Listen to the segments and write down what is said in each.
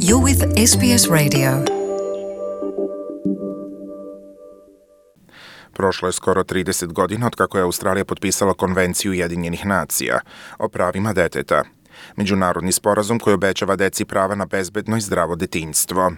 You're with SBS Radio. Prošlo je skoro 30 godina od kako je Australija potpisala Konvenciju Ujedinjenih nacija o pravima deteta, međunarodni sporazum koji obećava deci prava na bezbedno i zdravo detinjstvo.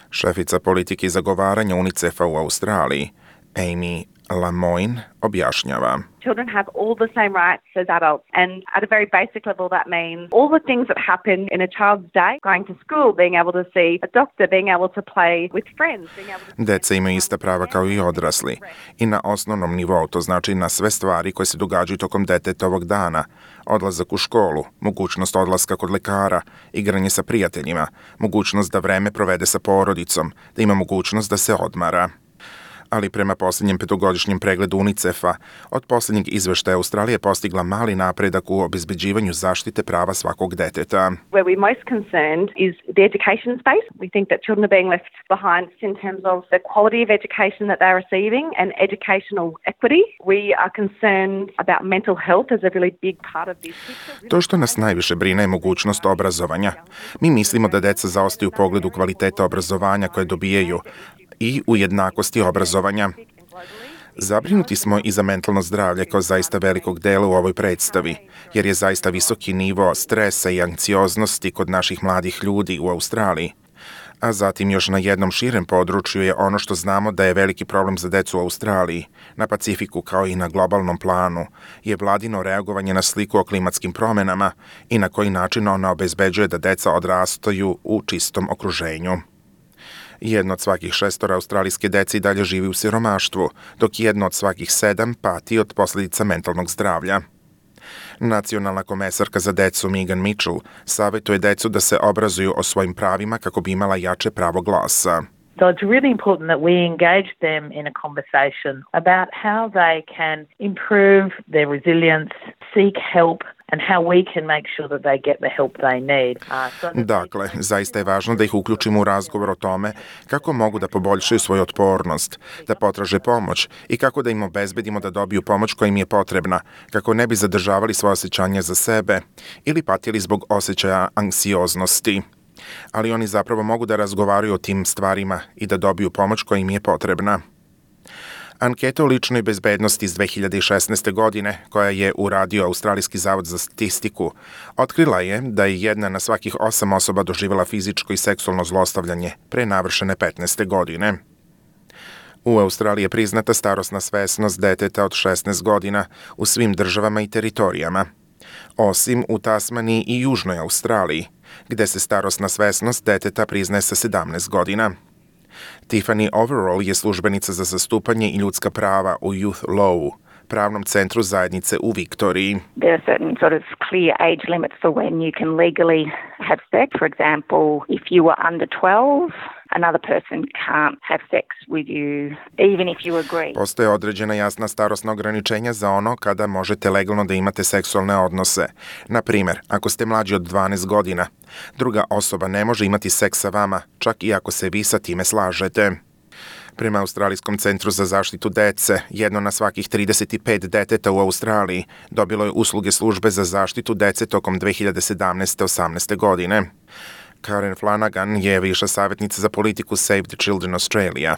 Šefica politike i zagovaranja UNICEF-a u Australiji, Amy Lamoine, objašnjava. Children have all the same rights as adults, and at a very basic level that means all the things that happen in a child's day, going to school, being able to see a doctor, being able to play with friends, being able to... Deca imaju ista prava kao i odrasli i na osnovnom nivou, to znači na sve stvari koje se događaju tokom detetovog dana, odlazak u školu, mogućnost odlaska kod lekara, igranje sa prijateljima, mogućnost da vreme provede sa porodicom, da ima mogućnost da se odmara. Ali prema posljednjem petogodišnjem pregledu UNICEF-a, od posljednjeg izveštaja Australija je postigla mali napredak u obezbeđivanju zaštite prava svakog deteta. Where we're most concerned is the education space. We think that children are being left behind in terms of the quality of education that they're receiving and educational equity. We are concerned about mental health as a really big part of this. To što nas najviše brine je mogućnost obrazovanja. Mi mislimo da deca zaostaju u pogledu kvaliteta obrazovanja koje dobijaju i u jednakosti obrazovanja. Zabrinuti smo i za mentalno zdravlje kao zaista velikog dela u ovoj predstavi, jer je zaista visoki nivo stresa i anksioznosti kod naših mladih ljudi u Australiji. A zatim još na jednom širem području je ono što znamo da je veliki problem za decu u Australiji, na Pacifiku kao i na globalnom planu, je vladino reagovanje na sliku o klimatskim promenama i na koji način ona obezbeđuje da deca odrastaju u čistom okruženju. Jedno od svakih 6 australijske dece i dalje živi u siromaštvu, dok jedno od svakih 7 pati od posljedica mentalnog zdravlja. Nacionalna komesarka za decu Megan Mitchell savjetuje decu da se obrazuju o svojim pravima kako bi imala jače pravo glasa. So it's really important that we engage them in a conversation about how they can improve their resilience, seek help, and how we can make sure that they get the help they need. Dakle, zaista je važno da ih uključimo u razgovor o tome kako mogu da poboljšaju svoju otpornost, da potraže pomoć i kako da im obezbedimo da dobiju pomoć koja im je potrebna, kako ne bi zadržavali svoje osjećanja za sebe ili patili zbog osjećaja anksioznosti. Ali oni zapravo mogu da razgovaraju o tim stvarima i da dobiju pomoć koja im je potrebna. Anketa o ličnoj bezbednosti iz 2016. godine, koja je uradio Australijski zavod za statistiku, otkrila je da je 1 na svakih 8 osoba doživjela fizičko i seksualno zlostavljanje pre navršene 15. godine. U Australiji je priznata starosna svesnost deteta od 16 godina u svim državama i teritorijama, osim u Tasmaniji i Južnoj Australiji, gde se starosna svesnost deteta priznaje sa 17 godina. Tiffany Overall je službenica za zastupanje i ljudska prava u Youth Law, pravnom centru zajednice u Viktoriji. There are certain sort of clear age limits for when you can legally have sex. For example, if you were under 12, another person can't have sex with you, even if you agree. Postoje određena jasna starosna ograničenja za ono kada možete legalno da imate seksualne odnose. Na primjer, ako ste mlađi od 12 godina, druga osoba ne može imati seks sa vama, čak i ako se vi sa time slažete. Prema Australijskom centru za zaštitu dece, 1 na svakih 35 deteta u Australiji dobilo je usluge službe za zaštitu dece tokom 2017-18. godine. Karen Flanagan je viša savjetnica za politiku Save the Children Australia.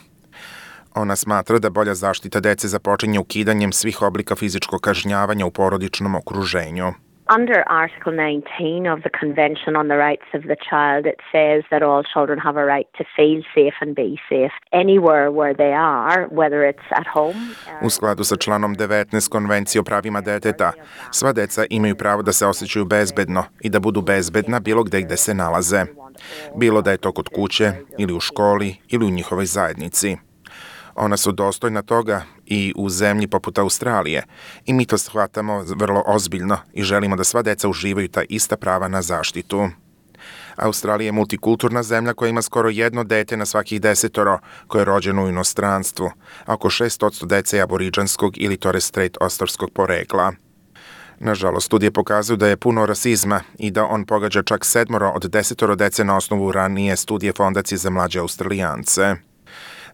Ona smatra da bolja zaštita dece započinje ukidanjem svih oblika fizičkog kažnjavanja u porodičnom okruženju. Under Article 19 of the Convention on the Rights of the Child, it says that all children have a right to feel safe and be safe anywhere where they are, whether it's at home. U skladu sa članom 19 Konvencije o pravima deteta, sva deca imaju pravo da se osjećaju bezbedno i da budu bezbedna bilo gde se nalaze. Bilo da je to kod kuće, ili u školi, ili u njihovoj zajednici. Ona su dostojna toga i u zemlji poput Australije i mi to shvatamo vrlo ozbiljno i želimo da sva deca uživaju ta ista prava na zaštitu. Australija je multikulturna zemlja koja ima skoro 1 dete na svakih 10 koje je rođeno u inostranstvu, a oko 6% dece je aboriđanskog ili Torres Strait Ostarskog porekla. Nažalost, studije pokazuju da je puno rasizma i da on pogađa čak 7 od 10 dece na osnovu ranije studije Fondacije za mlađe Australijance.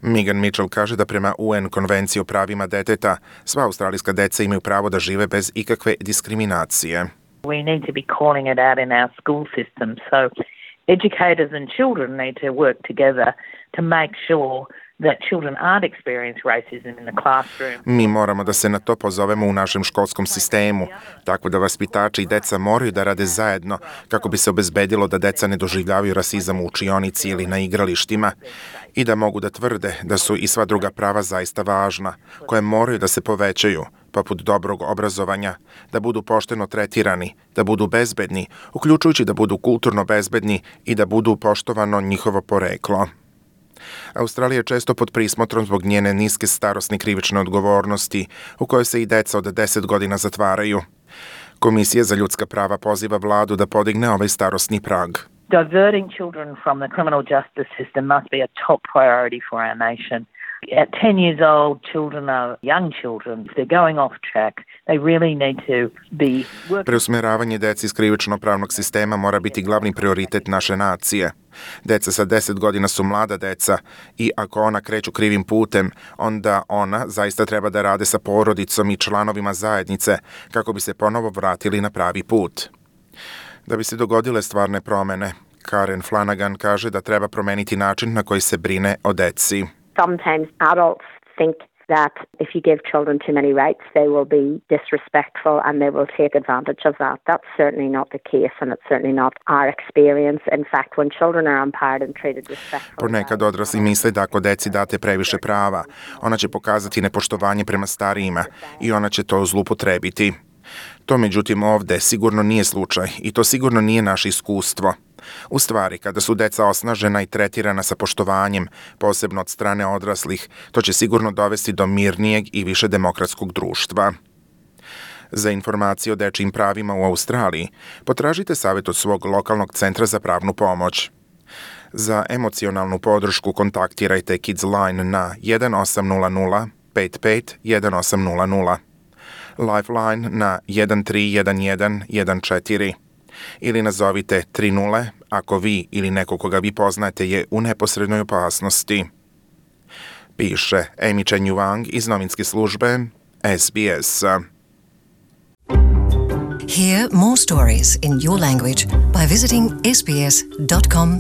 Megan Mitchell kaže da prema UN konvenciji o pravima deteta, sva australijska deca imaju pravo da žive bez ikakve diskriminacije. We need to be calling it out in our school system. So Educators and children need to work together to make sure that children aren't experience racism in the classroom. Mi moramo da se na to pozovemo u našem školskom sistemu, tako da vaspitači i deca moraju da rade zajedno kako bi se obezbedilo da deca ne doživljavaju rasizam u učionici ili na igralištima i da mogu da tvrde da su i sva druga prava zaista važna, koje moraju da se povećaju, poput dobrog obrazovanja, da budu pošteno tretirani, da budu bezbedni, uključujući da budu kulturno bezbedni i da budu poštovano njihovo poreklo. Australija je često pod prismotrom zbog njene niske starosne krivične odgovornosti, u kojoj se i deca od 10 godina zatvaraju. Komisija za ljudska prava poziva vladu da podigne ovaj starosni prag. Diverting children from the criminal justice system must be a top priority for our nation. At 10 years old, children are young children. If they're going off track, they really need to be working. Preusmeravanje deci iz krivično-pravnog sistema mora biti glavni prioritet naše nacije. Deca sa 10 godina su mlada deca i ako ona kreću krivim putem, onda ona zaista treba da rade sa porodicom i članovima zajednice kako bi se ponovo vratili na pravi put. Da bi se dogodile stvarne promene, Karen Flanagan kaže da treba promeniti način na koji se brine o deci. Sometimes adults think that if you give children too many rights, they will be disrespectful and they will take advantage of that. That's certainly not the case, and it's certainly not our experience. In fact, when children are empowered and treated respectfully... Ponekad odrasli misle da ako deci date previše prava, ona će pokazati nepoštovanje prema starijima i ona će to zlupotrebiti. To međutim ovde sigurno nije slučaj i to sigurno nije naše iskustvo. U stvari, kada su deca osnažena i tretirana sa poštovanjem, posebno od strane odraslih, to će sigurno dovesti do mirnijeg i više demokratskog društva. Za informacije o dečijim pravima u Australiji, potražite savjet od svog lokalnog centra za pravnu pomoć. Za emocionalnu podršku kontaktirajte Kids Line na 1800 55 1800, Lifeline na 131114 ili nazovite 30 ako vi ili neko koga vi poznate je u neposrednoj opasnosti. Piše Amy Chen Yuang iz novinske službe SBS. Hear more stories in your language by visiting sbs.com.au.